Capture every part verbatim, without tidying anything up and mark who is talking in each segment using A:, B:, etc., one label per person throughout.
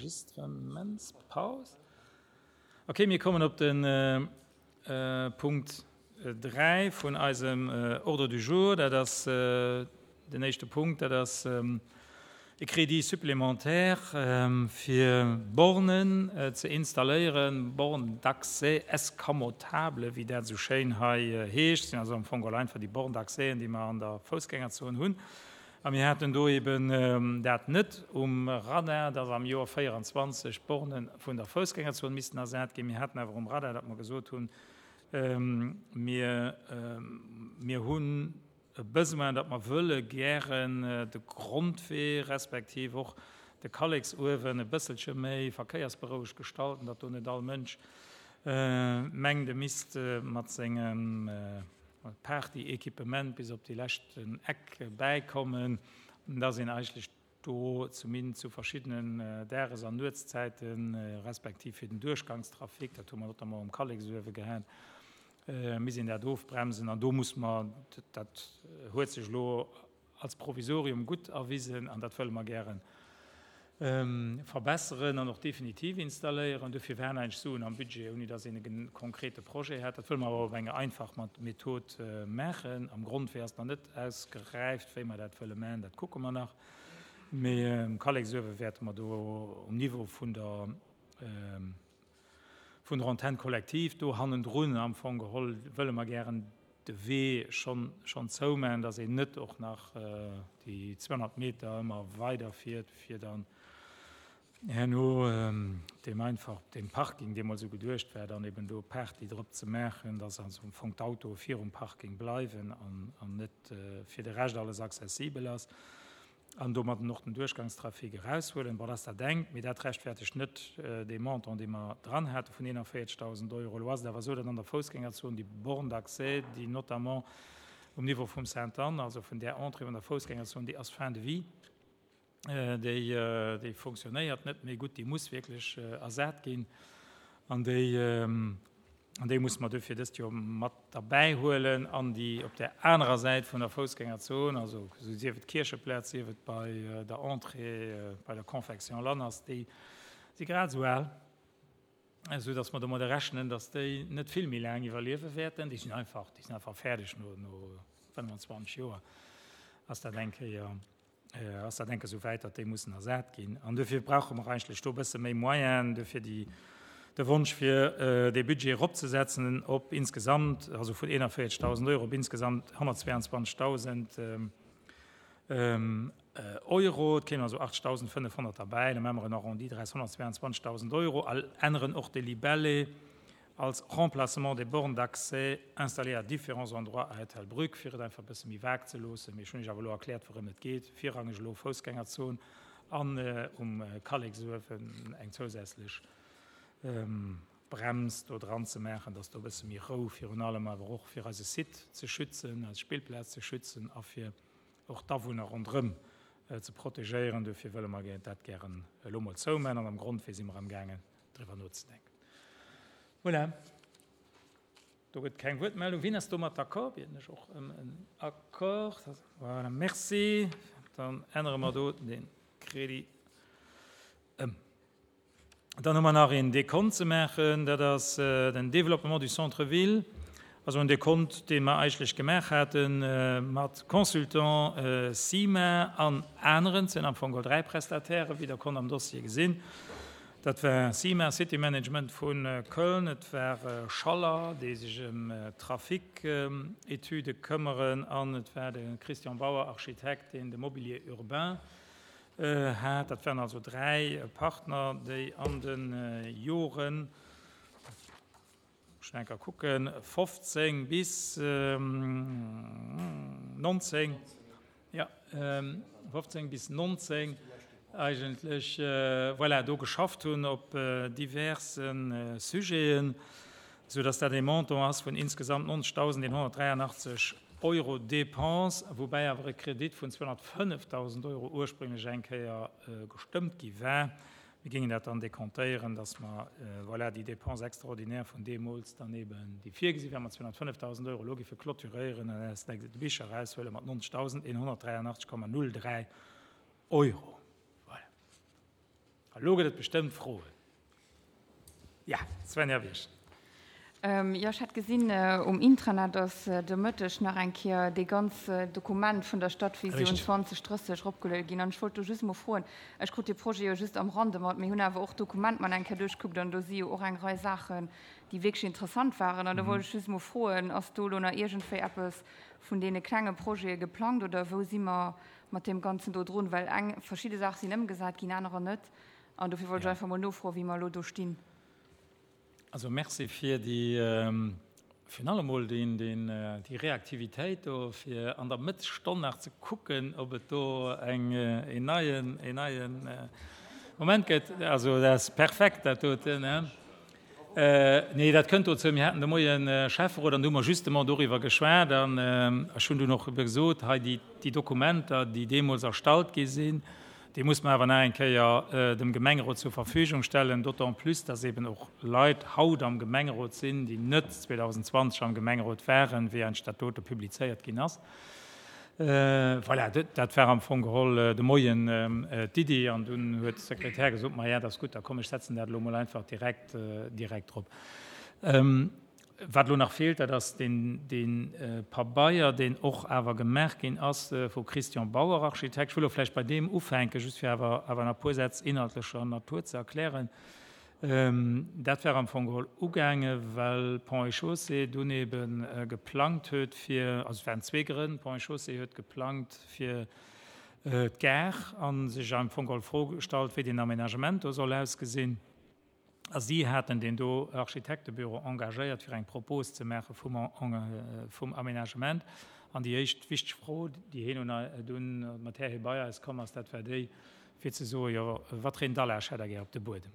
A: Enregistrementspaus. Okay, mir kommen op de Punkt dräi vun eisem Ordre du jour. Dat ass den éischte Punkt, dat ass e Crédit supplémentaire fir Bornen ze installéieren, Bornes d'accès escamotables, wéi dat esou schéin hei heescht. Sinn also am Fong geholl einfach déi Bornes d'accès, déi mer an der Foussgängerzon hunn. A mir haten do eben dat net um Radar, dass am Joer véierundzwanzeg d'Borne vun der Foussgängerzon missten ersat ginn. Mir haten awer um Radar, datt mer gesot hunn, mir, mir hunn e Besoin, datt mer wëlle gären de Grondwee respektiv och de Kalleksuewen e bësselche méi verkéiersberouegt gestalten, datt do net all Mënsch mengt, e misst mat sengem Party-Equipement bis op déi leschten Eck bäikommen, dass een eigentlech do zumindest zu verschiddenen Dages- an Nuetszäiten, respektiv fir den Duerchgangstrafic, dat hu mer notamment um Kalleksuewe gehat, misst een dat ofbremsen. An do muss mer, dat huet sech elo als Provisorium gutt erwisen an dat wëlle mer gären verbesseren an och definitiv installéieren. Dofir waren eigentlech Suen am Budget, ouni datt een e konkrete Projet hat. Dat wëlle mer awer op eng einfach Method maachen. Am Grondwee ass nach net ausgeräift, wéi mer dat wëlle maachen, dat kucke mer nach. Mee um Kalleksuewe wäerte mer do um Niveau vun der vun der Antenne collective do hannendrun am Fong geholl wëlle mer gären de Wee schonn schonn zoumaachen, datt een net och nach déi zweehonnert Meter ëmmer weiderfiert, fir dann herno deem einfach deem Parking, dee mol esou geduecht war, dann eben do Party drop ze maachen, datt also am Fong d'Autoe virum Parking bleiwen an an net fir de Rescht alles accessibel ass an domadden och den Duerchgangstrafic eraushuelen. Bon, dat ass dat engt, mee dat rechtfertegt net dee Montant, dee mer dran hate vun eenanvéierzegdausend Euro. Elo ass et awer esou, datt an der Foussgängerzon déi Borne d'accès, déi notamment um Niveau vum Sainte-Anne, also vun där Entrée vun der Foussgängerzon, déi ass fin de vie, déi, déi fonctionnéiert net méi gutt, déi muss wierklech ersat ginn an déi, an déi musse mer duerfir dëst Joer mat derbäi huelen an déi op där anerer Säit vun der Foussgängerzon, also sief et Kiercheplaz, sief et bei der Entrée bei der Confection Lanners, déi si grad esou al, esou datt mer domadder rechnen, datt déi net vill méi laang iwwerliewe wäerten. Déi sinn einfach, déi sinn einfach fäerdeg no, no fënnwanzwanzeg Joer ass dat eng Kéier, ass dat enke sou wäit, datt déi mussen ersat ginn. An duerfir brauche mer eigentlech do e bësse méi Moyenen, duerfir déi, de Wonsch fir dee Budget eropzesetzen op insgesamt, also vun eenanvéierzegdausend Euro op insgesamt honnertzweiandzwanzegdausend Euro. Et kéimen also achtdausendfënnefhonnert derbäi, da maache mer en Arrondi draus, honnertzweiandzwanzegdausend Euro, a änneren och de Libellé als Remplacement des bornes d'accès installées à différents endroits à Ettelbruck, fir et einfach e bësse méi vague ze loossen. Mee ech hunn Iech awer elo erkläert, wourëm et geet, virrangeg elo Foussgängerzon an um Kalleksuewen eng zousätzlech Brems do dran ze maachen, dass do e bësse méi Rou, virun allem awer och fir eise Site ze schützen, eis Spillplaz ze schützen a fir och d'Awunner ronderëm ze protegéieren. Dofir wëlle mer dat gären elo mol zoumaachen an am Grondwee si mer amgaangen, driwwer nozedenken. Voilà. Do gëtt keng Wuertmeldung. Wien ass domat d'accord? Bieden ech och ëm en Accord. Voilà, merci. Dann ännere mer do de Crédit ëm. Dann hu mer nach een Dekont ze maachen, dat ass den Développement du centre-ville, also en Dekont, dee mer eigentlech gemaach hate mat Consultant CIMA an aneren, et sinn am Fong geholl dräi Prestatairen, wéi Der konnt am Dossier gesinn. Dat war CIMA, City Management vu Köln, et war Schaller, déi sech ëm Trafic-Etüde këmmeren, an et war de Christian Bauer, Architekt, deen de Mobilier urbain hat. Dat waren also dräi Partner, déi an de Joren, ech enker kucken, fofzéng bis nonzéng, ja, fofzéng bis nonzéng eigentlech, voilà, do geschafft hunn op diverse Sujeten, soudass dat e Montant ass vun insgesamt nonzegdausendeenhonnertdräianachtzeg Euro Dépenses, woubäi awer e Kredit vun zweehonnertfënnefdausend Euro ursprünglech eng Kéier gestëmmt gi war. Mir géingen dat dann dekontéieren, dass mer, voilà, déi Dépenses extraordinaires vun deemools dann eben, déi virgesi waren, mat zweehonnertfënnefdausend Euro elo géife clôturéieren an aus de Bicher eraushuele mat nonzegdausendeenhonnertdräianachtzeg Komma null dräi Euro. Voilà. Elo gëtt et bestëmmt Froen. Ja, Svenja Wiesch.
B: Jo, ech hat gesinn um Intranet, dass de Mëtteg nach eng Kéier dee ganz Dokument vun der Stadvisioun zwanzeg drësseg eropgeluede ginn. An ech wollt do just emol froen, ech krut dee Projet jo just am Rande mat, mir hunn awer och d'Dokument mol eng Kéier duerchgekuckt an do si jo och eng Rei Saachen, déi wierklech interessant waren. An do wollt ech just emol froen, ass do elo nach iergendwéi eppes vun deene klenge Projete geplangt oder wou si mer mat deem Ganzen do drun? Well eng, verschidde Saache sinn ëmgesat ginn, anerer net. An dofir wollt ech einfach emol nofroen, wéi mer elo do stinn.
A: Also merci fir déi, virun allem emol deen, deen, déi Reaktivitéit do, fir an der Mëttesstonn nach ze kucken, ob et do eng, een neien, een neien Moment gëtt. Also dat ass perfekt, dat doten, ne? Nee, dat kënnt dozou, mir haten de Moien Schäfferot an do hu mer justement doriwwer geschwat an ech hunn dunn och ebe gesot, hei déi, déi Dokumenter, déi deemools erstallt gi sinn, Déi muss mer awer nach eng Kéier dem Gemengerot zur Verfügung stellen, d'autant plus, dass eben och Leit haut am Gemengerot sinn, déi net zweedausendzwanzeg am Gemengerot waren, wéi eigentlech dat dote publizéiert ginn ass. Voilà, dat war am Fong geholl de Moien d'Iddi. An dunn huet de Sekretär gesot, Maja, dat ass gutt, da komm, ech setzen dat elo emol einfach direkt, direkt drop. Wat elo nach feelt, dat ass dee Pabeier, deen och awer gemaach ginn ass vu Christian Bauer, Architekt. Ech wëll och vläicht bei deem ufänken, just fir awer awer nach e puer Sätz inhaltlecher Natur ze erklären. Dat war am Fong geholl ugaange well Ponts et Chaussées dunn ebe geplangt huet fir, also et waren zwee Grënn, Ponts et Chaussées huet geplangt fir d'Gare a sech am Fong geholl d'Fro gestallt, wéi deen Aménagement do soll ausgesinn. A si haten deen do Architektebüro engagéiert, fir eng Propos ze maache vum Aménagement. An déi éischt wichteg Fro, déi heen dunn mat där hie bei eis komm ass, dat war déi, fir ze soen, Jo, wat fir een Dallage hätt Der gär op de Buedem?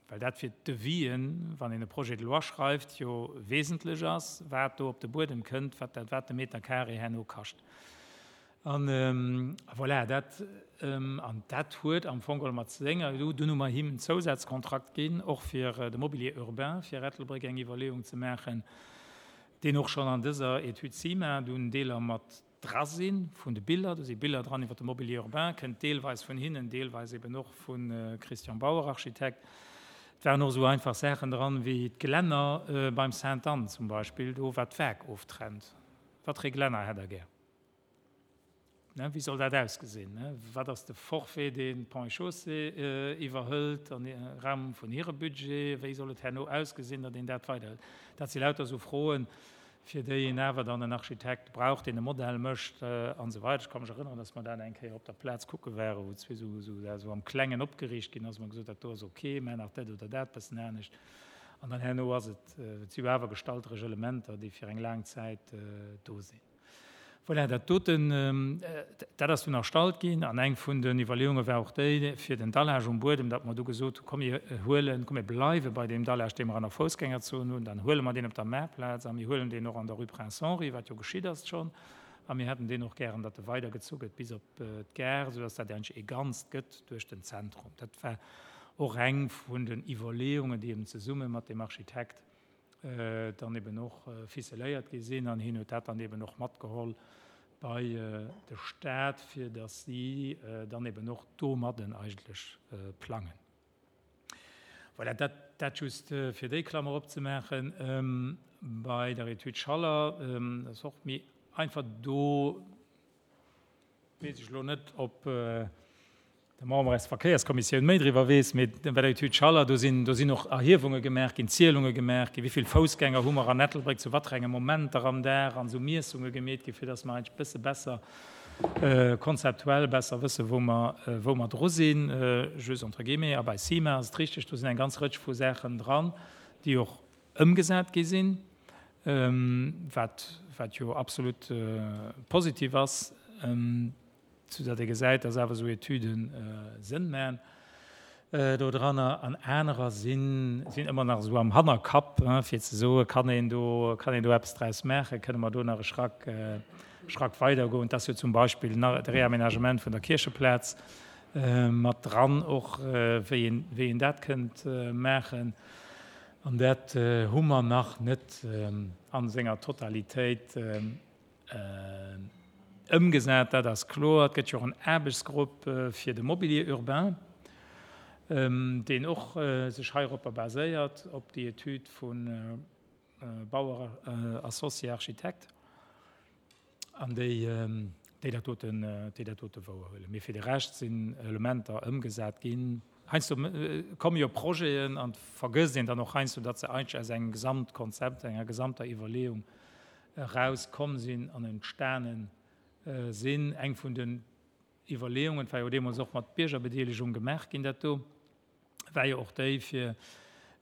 A: Well dat fir d'Devis'en, wann een e Projet de loi schreift, jo wesentlech ass, wat do op de Buedem kënnt, wat dat wat de Meter carré herno kascht. An voilà, dat, an dat huet am Fong geholl mat senger, dunn hu mer him en Zousazkontrakt ginn, och fir de Mobilier urbain fir Ettelbréck eng Iwwerleeung ze maachen, deen och schonn an dëser Etüd CIMA dunn Deeler mat dra si vun de Biller. Do si Biller dran iwwer de Mobilier urbain, kënnt deelweis vun hinnen, deelweis eben och vu Christian Bauer, Architekt. Et waren och esou einfach Saachen dran, wéi d'Gelänner beim Sainte-Anne zum Beispill, do wat d'Waark oftrennt. Wat fir ee Gelänner hätt Der gär? Wéi soll dat ausgesinn? Wat ass de Forfait, deen d'Ponts et Chaussées iwwerhëlt am Raum vun hire Budget? Wéi soll et herno ausgesinn, datt een dat weiderhëlt? Dat si lauter esou Froen, fir déi een awer dann en Architekt brauch, deen e Modell mécht an esou weider. Ech ka mech erënneren, datt mer dat eng Kéier op der Plaz kucke waren, wou zwee esou am Klengen opgeriicht ginn ass, wou mer gesot hunn, dat do ass ok, mä nach dat oder dat bëssen anescht. An dann herno ass et, et si jo awer gestalteresch Elementer, déi fir eng laang Zäit do sinn. Voilà, dat doten, dat ass dunn erstallt ginn. An eng vun den Iwwerleeunge war och déi, fir den Dallage um Buedem, datt mer du gesot hunn, komm mir huelen, komm mir bleiwe bei deem Dallage, dee mer an der Foussgängerzon hunn, dann huele mer deen op der Maarplaz a mir huelen deen och an der Rue Prince Henri, wat jo geschitt ass schonn. A mir hätten deen och gären, datt e weidergezu gëtt bis op d'Gare, soudatt dat eigentlech ee Ganzt gëtt duerch den Zentrum. Dat war och eng vun den Iwwerleeungen, déi eben zesumme mat deem Architekt dann eben och ficeléiert gi sinn an hien huet dat dann eben och matgeholl bei de Stat, fir datt si dann eben och domadden eigentlech plangen. Voilà, dat, dat just fir déi Klammer opzemaachen. Bei der Etüd Schaller ass och méi einfach do, weess ech elo net, ob de Member aus der Verkéierskommissioun méi driwwer weess, mee bei der Etüd Schaller, do sinn, do sinn och Erhiewunge gemaach ginn, Zielunge gemaach ginn, wéi vill Foussgänger hu mer an Ettelbréck, zu wat fir enge Momenter am Dag an esou Miessunge gemeet ginn, fir dass mer eigentlech e bësse besser, konzeptuell besser wëssen, wou mer, wou mer dru sinn, just entre guillemets. A bei CIMA ass et richteg, do sinn eng ganz Rëtsch vu Saachen dran, déi och ëmgesat gi sinn, wat, wat jo absolut positiv ass. Soudatt ee gesäit, dass awer esou Etüde Sënn maachen dodranner. An anerer sinn ëmmer nach esou am Hannerkapp, fir ze soen, Kann een do, kann een do eppes draus maachen? Kënne mer do nach e Schrack, Schrack weidergoen? Et ass jo zum Beispill nach de Réaménagement vun der Kiercheplaz mat dran och, wéi een, wéi een dat kënnt maachen. An dat hu mer nach net a senger Totalitéit Ëmgesat, dat ass kloer. Et gëtt jo och en Aarbechtsgrupp fir de Mobilier urbain, deen och sech heiropper baséiert, op déi Etüd vu Bauer Associés Architectes, an déi déi dat doten, déi dat dote wouerhuelen. Mee fir de Rescht sinn Elementer ëmgesat ginn. Heiansdo komme jo Projeten an et vergësst een dann och heiansdo, datt se eigentlech aus engem Gesamtkonzept, enger gesamter Iwwerleeung erauskomm sinn an entstane sinn. Eng vun den Iwwerleeungen, et war jo deemools och mat Biergerbedeelegung gemaach ginn, dat do, war jo och déi, fir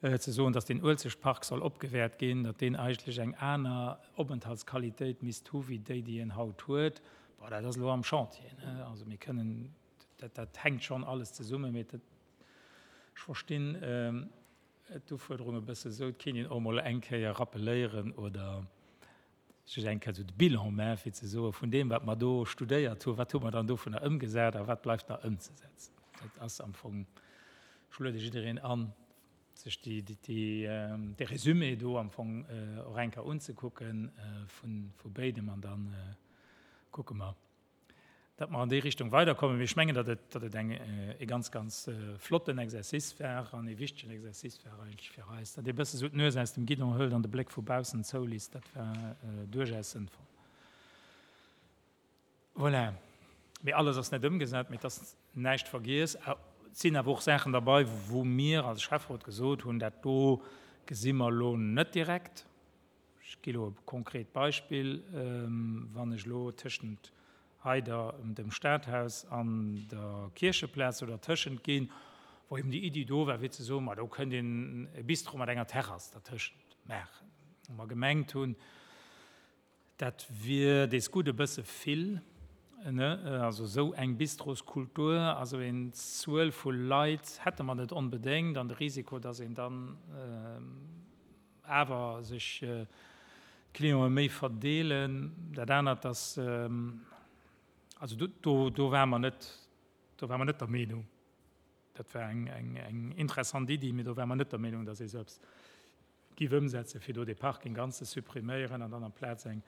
A: ze soen, datt deen Uelzechtpark soll opgewäert ginn, datt deen eigentlech eng aner Openthaltsqualitéit misst hu wéi déi, déi en haut huet. Bon, dat ass elo am Chantier, ne? Also mir kënnen, dat, dat hänkt schonn alles zesummen, mee dat, ech verstinn d'Ufuerderung e bësse sou, et kéint een och emol eng Kéier rappeléieren oder sech eng Kéier esou de Bilan maachen, fir ze soen, vun deem, wat mer do studéiert hunn, wat hu mer dann dovunner ëmgesat a wat bleift nach ëmzesetzen. Dat ass am Fong, ech luede jiddereen an, sech déi, déi, dee Résumé do am Fong och eng Kéier unzekucke vu, vu béidem an da kucke mer, datt mer an déi Richtung weiderkommen. Mee ech mengen, datt et, datt et eng, e ganz, ganz flotten Exercice war an e wichtegen Exercice war eigentlech fir eis, datt ee bësse sou d'Nues aus dem Guidon hëlt an de Bléck vu baussen zouliisst. Dat war duerchaus sënnvoll. Voilà. Mee alles ass net ëmgesat, mee et ass näischt vergiess. Et sinn awer och Saachen derbei, wou mir als Schäfferot gesot hunn, dat do gesi mer elo net direkt. Ech gi elo e konkret Beispill, Wann ech elo tëschent hei der, dem Stadhaus an der Kiercheplaz do dertëschent ginn, wou eben déi Iddi do war, fir ze soen, ma do kënnt een e Bistro mat enger Terrass dertëschent maachen, wou mer gemengt hunn, dat wier dees gutt e bësse vill, ne, also esou eng Bistroskultur, also een Zuel vu Leit hätte mer net onbedéngt an de Risiko, dass een dann awer sech d'Clientë méi verdeelen. Dat anert, dass, also do, do ware mer net, do ware mer net der Meenung, dat war eng, eng, eng interessant Iddi, mee do ware mer net der Meenung, dass ee sou eppes giff ëmsetzen, fir do dee Parking ganz ze suppriméieren an dann amplaz eng,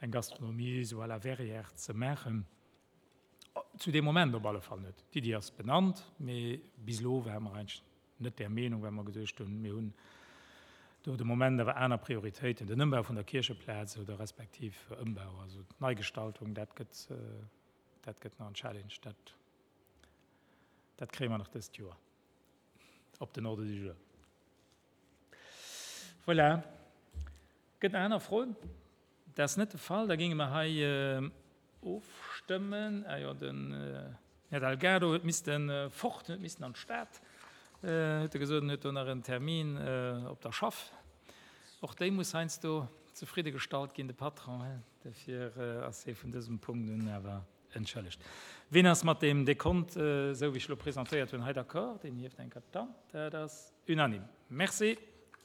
A: eng Gastronomie esou à la Verrières ze maachen. Zu deem Moment op alle Fall net. D'Iddi ass benannt, mee bis elo ware mer eigentlech net där Meenung, well mer geduecht hunn, mir hunn do de Moment awer aner Prioritéiten, den Ëmbau vun der Kiercheplaz oder respektiv Ëmbau, also d'Neigestaltung, dat gëtt, dat gëtt nach en Challenge, dat, dat kréie mer nach dëst Joer op den Ordre du jour. Voilà. Gëtt nach aner Froen? Dat ass net de Fall. Da géinge mer hei ofstëmmen. Ah jo, den Här Delgado huet misste fort, huet missen an d'Stad, huet e gesot, en huet do nach en Termin op der Schaff. Och déi muss heiansdo zefridde gestallt ginn, de Patron, hein. Dofir ass hie vun dësem Punkt un awer entschëllegt. Wien ass mat deem Dekont, esou wéi ech elo presentéiert hunn, hei d'accord? Deen hieft eng Kéier d'Hand. Dat ass unanime. Merci.